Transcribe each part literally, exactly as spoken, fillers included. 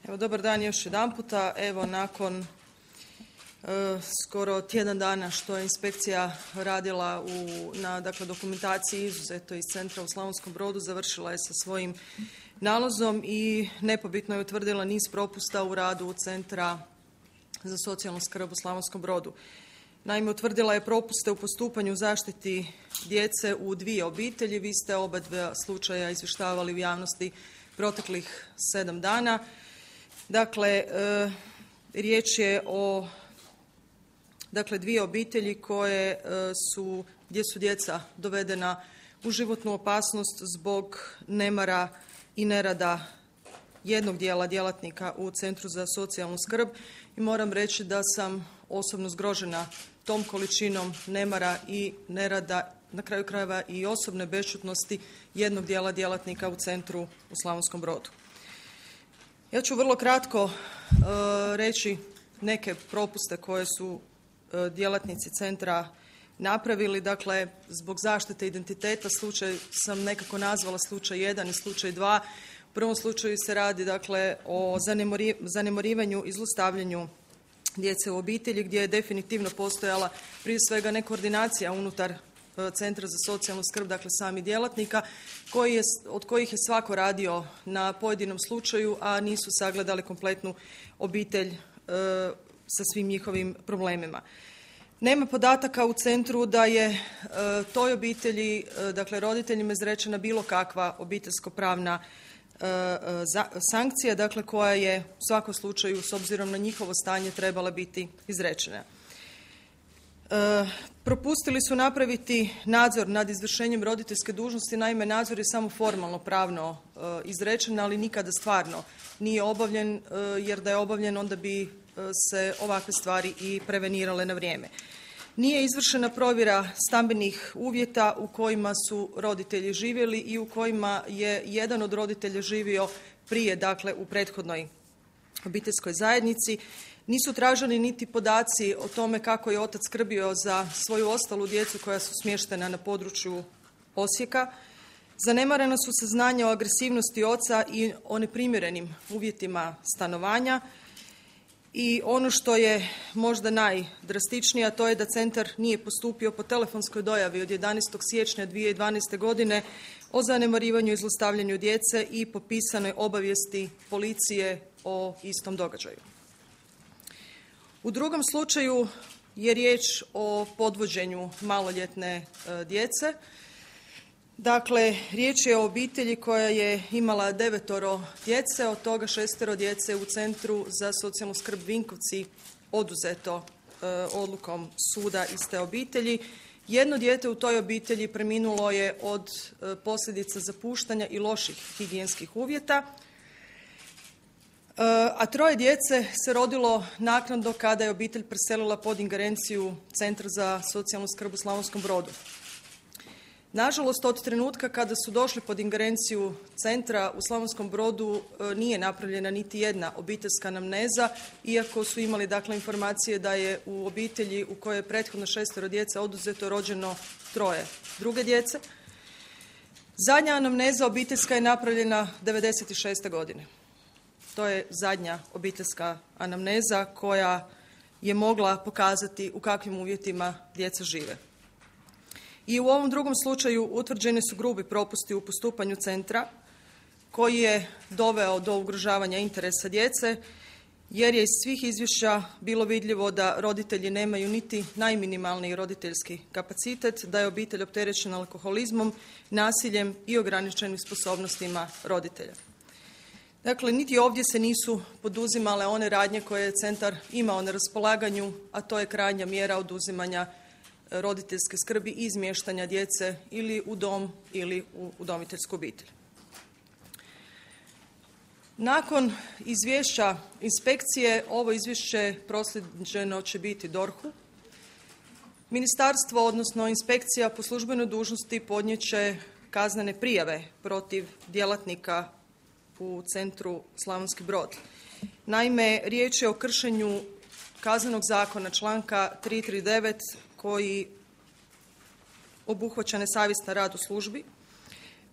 Evo, dobar dan još jedanputa. Evo, nakon e, skoro tjedan dana što je inspekcija radila u, na dakle, dokumentaciji izuzeto iz centra u Slavonskom Brodu, završila je sa svojim nalazom i nepobitno je utvrdila niz propusta u radu Centra za socijalnu skrb u Slavonskom Brodu. Naime, utvrdila je propuste u postupanju zaštiti djece u dvije obitelji. Vi ste oba dva slučaja izvještavali u javnosti proteklih sedam dana. Dakle, e, riječ je o dakle, dvije obitelji koje e, su, gdje su djeca dovedena u životnu opasnost zbog nemara i nerada jednog dijela djelatnika u Centru za socijalnu skrb i moram reći da sam osobno zgrožena tom količinom nemara i nerada, na kraju krajeva i osobne bešćutnosti jednog dijela djelatnika u Centru u Slavonskom Brodu. Ja ću vrlo kratko e, reći neke propuste koje su e, djelatnici centra napravili. Dakle, zbog zaštite identiteta slučaj sam nekako nazvala slučaj jedan i slučaj dva. U prvom slučaju se radi dakle, o zanemarivanju i zlostavljanju djece u obitelji gdje je definitivno postojala prije svega nekoordinacija unutar Centra za socijalnu skrb, dakle sami djelatnika, koji je, od kojih je svako radio na pojedinom slučaju, a nisu sagledali kompletnu obitelj e, sa svim njihovim problemima. Nema podataka u centru da je e, toj obitelji, e, dakle roditeljima izrečena bilo kakva obiteljsko-pravna e, za, sankcija, dakle koja je u svakom slučaju s obzirom na njihovo stanje trebala biti izrečena. E, propustili su napraviti nadzor nad izvršenjem roditeljske dužnosti, naime nadzor je samo formalno pravno e, izrečen, ali nikada stvarno nije obavljen, e, jer da je obavljen onda bi e, se ovakve stvari i prevenirale na vrijeme. Nije izvršena provjera stambenih uvjeta u kojima su roditelji živjeli i u kojima je jedan od roditelja živio prije, dakle u prethodnoj obiteljskoj zajednici. Nisu traženi niti podaci o tome kako je otac skrbio za svoju ostalu djecu koja su smještena na području Osijeka. Zanemarena su saznanja o agresivnosti oca i o neprimjerenim uvjetima stanovanja. I ono što je možda najdrastičnije, a to je da centar nije postupio po telefonskoj dojavi od jedanaestog siječnja dvije tisuće dvanaeste. godine o zanemarivanju i zlostavljanju djece i po pisanoj obavijesti policije o istom događaju. U drugom slučaju je riječ o podvođenju maloljetne e, djece. Dakle, riječ je o obitelji koja je imala devetoro djece, od toga šestero djece u Centru za socijalnu skrb Vinkovci oduzeto e, odlukom suda iz te obitelji. Jedno dijete u toj obitelji preminulo je od e, posljedica zapuštanja i loših higijenskih uvjeta, a troje djece se rodilo naknadno kada je obitelj preselila pod ingerenciju Centra za socijalnu skrb u Slavonskom Brodu. Nažalost, od trenutka kada su došli pod ingerenciju centra u Slavonskom Brodu nije napravljena niti jedna obiteljska anamneza, iako su imali dakle informacije da je u obitelji u kojoj je prethodno šestero djece oduzeto rođeno troje druge djece. Zadnja anamneza obiteljska je napravljena devedeset šeste. godine. To je zadnja obiteljska anamneza koja je mogla pokazati u kakvim uvjetima djeca žive. I u ovom drugom slučaju utvrđeni su grubi propusti u postupanju centra koji je doveo do ugrožavanja interesa djece, jer je iz svih izvješća bilo vidljivo da roditelji nemaju niti najminimalniji roditeljski kapacitet, da je obitelj opterećena alkoholizmom, nasiljem i ograničenim sposobnostima roditelja. Dakle, niti ovdje se nisu poduzimale one radnje koje je centar imao na raspolaganju, a to je krajnja mjera oduzimanja roditeljske skrbi i izmještanja djece ili u dom ili u udomiteljsku obitelj. Nakon izvješća inspekcije, ovo izvješće proslijeđeno će biti dorhu. Ministarstvo, odnosno inspekcija po službenoj dužnosti podnijet će kaznene prijave protiv djelatnika u Centru Slavonski Brod. Naime, riječ je o kršenju Kaznenog zakona članka tristo trideset devet koji obuhvaća nesavjestan rad u službi.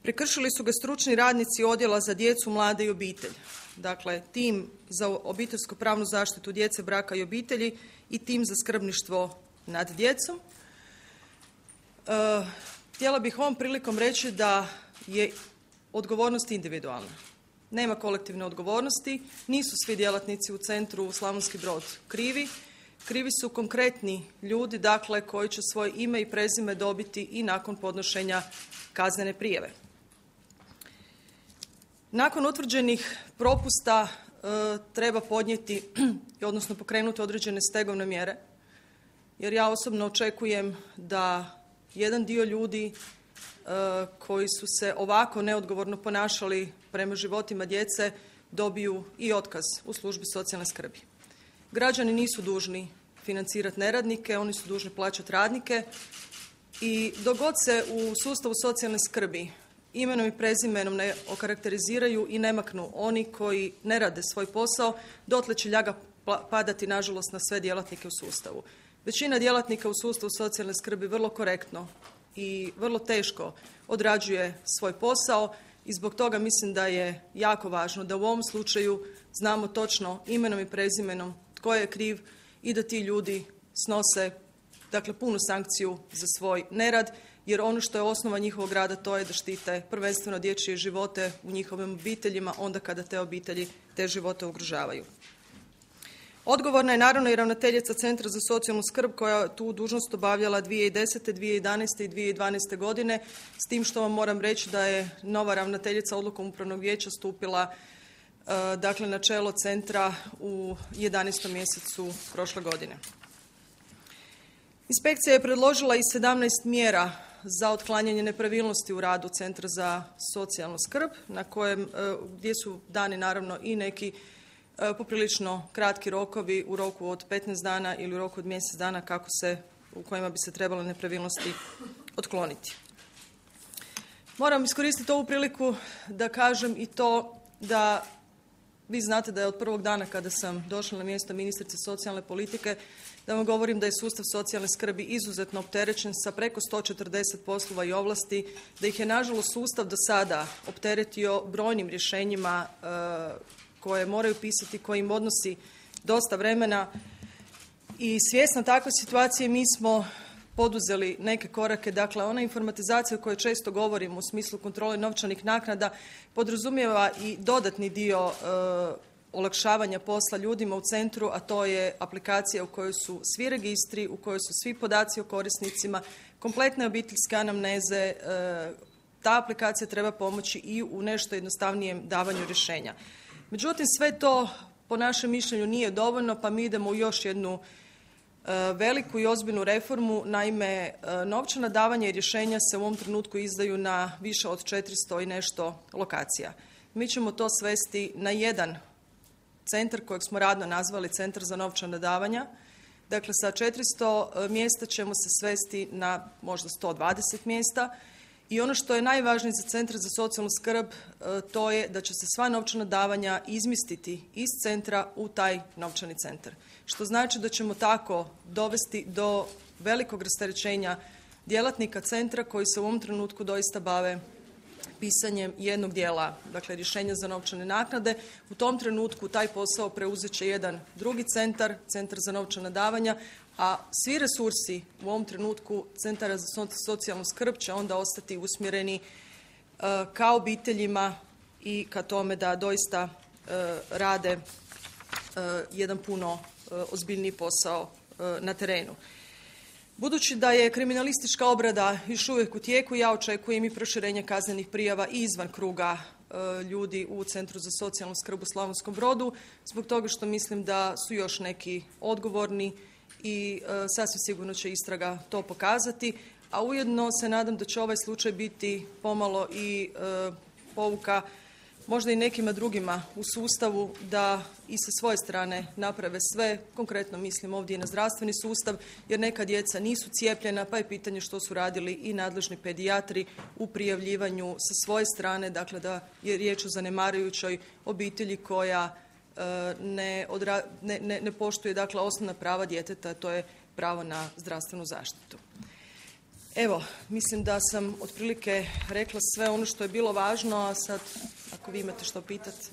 Prekršili su ga stručni radnici Odjela za djecu, mlade i obitelj. Dakle, tim za obiteljsku pravnu zaštitu djece, braka i obitelji i tim za skrbništvo nad djecom. E, htjela bih ovom prilikom reći da je odgovornost individualna. Nema kolektivne odgovornosti, nisu svi djelatnici u centru Slavonski Brod krivi. Krivi su konkretni ljudi, dakle, koji će svoje ime i prezime dobiti i nakon podnošenja kaznene prijave. Nakon utvrđenih propusta e, treba podnijeti, odnosno pokrenuti određene stegovne mjere, jer ja osobno očekujem da jedan dio ljudi e, koji su se ovako neodgovorno ponašali prema životima djece dobiju i otkaz u službi socijalne skrbi. Građani nisu dužni financirati neradnike, oni su dužni plaćati radnike i dok god se u sustavu socijalne skrbi imenom i prezimenom ne okarakteriziraju i ne maknu oni koji ne rade svoj posao, dotle će ljaga padati, nažalost, na sve djelatnike u sustavu. Većina djelatnika u sustavu socijalne skrbi vrlo korektno i vrlo teško odrađuje svoj posao i zbog toga mislim da je jako važno da u ovom slučaju znamo točno imenom i prezimenom tko je kriv i da ti ljudi snose, dakle, punu sankciju za svoj nerad, jer ono što je osnova njihovog rada to je da štite prvenstveno dječje živote u njihovim obiteljima onda kada te obitelji te živote ugrožavaju. Odgovorna je naravno i ravnateljica Centra za socijalnu skrb koja tu dužnost obavljala dvije tisuće desete, dvije tisuće jedanaeste i dvije tisuće dvanaeste godine, s tim što vam moram reći da je nova ravnateljica odlukom upravnog vijeća stupila dakle, na čelo centra u jedanaestom mjesecu prošle godine. Inspekcija je predložila i sedamnaest mjera za otklanjanje nepravilnosti u radu Centra za socijalnu skrb, na kojem, gdje su dani naravno i neki poprilično kratki rokovi u roku od petnaest dana ili u roku od mjesec dana kako se, u kojima bi se trebale nepravilnosti otkloniti. Moram iskoristiti ovu priliku da kažem i to da vi znate da je od prvog dana kada sam došla na mjesto ministrice socijalne politike, da vam govorim da je sustav socijalne skrbi izuzetno opterećen sa preko sto četrdeset poslova i ovlasti, da ih je nažalost sustav do sada opteretio brojnim rješenjima e, koje moraju pisati, koji im odnosi dosta vremena i svjesna takve situacije mi smo poduzeli neke korake. Dakle, ona informatizacija o kojoj često govorimo u smislu kontrole novčanih naknada podrazumijeva i dodatni dio e, olakšavanja posla ljudima u centru, a to je aplikacija u kojoj su svi registri, u kojoj su svi podaci o korisnicima, kompletne obiteljske anamneze. E, ta aplikacija treba pomoći i u nešto jednostavnijem davanju rješenja. Međutim, sve to po našem mišljenju nije dovoljno, pa mi idemo u još jednu veliku i ozbiljnu reformu. Naime, novčana davanja i rješenja se u ovom trenutku izdaju na više od četiristo i nešto lokacija. Mi ćemo to svesti na jedan centar kojeg smo radno nazvali Centar za novčana davanja. Dakle, sa četiristo mjesta ćemo se svesti na možda sto dvadeset mjesta. I ono što je najvažnije za Centar za socijalnu skrb, to je da će se sva novčana davanja izmjestiti iz centra u taj novčani centar. Što znači da ćemo tako dovesti do velikog rasterećenja djelatnika centra koji se u ovom trenutku doista bave pisanjem jednog dijela, dakle rješenja za novčane naknade. U tom trenutku taj posao preuzet će jedan drugi centar, Centar za novčana davanja, a svi resursi u ovom trenutku Centara za socijalnu skrb će onda ostati usmjereni uh, ka obiteljima i ka tome da doista uh, rade uh, jedan puno uh, ozbiljniji posao uh, na terenu. Budući da je kriminalistička obrada još uvijek u tijeku, ja očekujem i proširenje kaznenih prijava i izvan kruga e, ljudi u Centru za socijalnu skrb u Slavonskom Brodu, zbog toga što mislim da su još neki odgovorni i e, sasvim sigurno će istraga to pokazati, a ujedno se nadam da će ovaj slučaj biti pomalo i e, pouka možda i nekima drugima u sustavu da i sa svoje strane naprave sve, konkretno mislim ovdje i na zdravstveni sustav, jer neka djeca nisu cijepljena, pa je pitanje što su radili i nadležni pedijatri u prijavljivanju sa svoje strane, dakle da je riječ o zanemarujućoj obitelji koja e, ne, odra, ne, ne, ne poštuje dakle osnovna prava djeteta, to je pravo na zdravstvenu zaštitu. Evo, mislim da sam otprilike rekla sve ono što je bilo važno, a sad ako vi imate što pitati.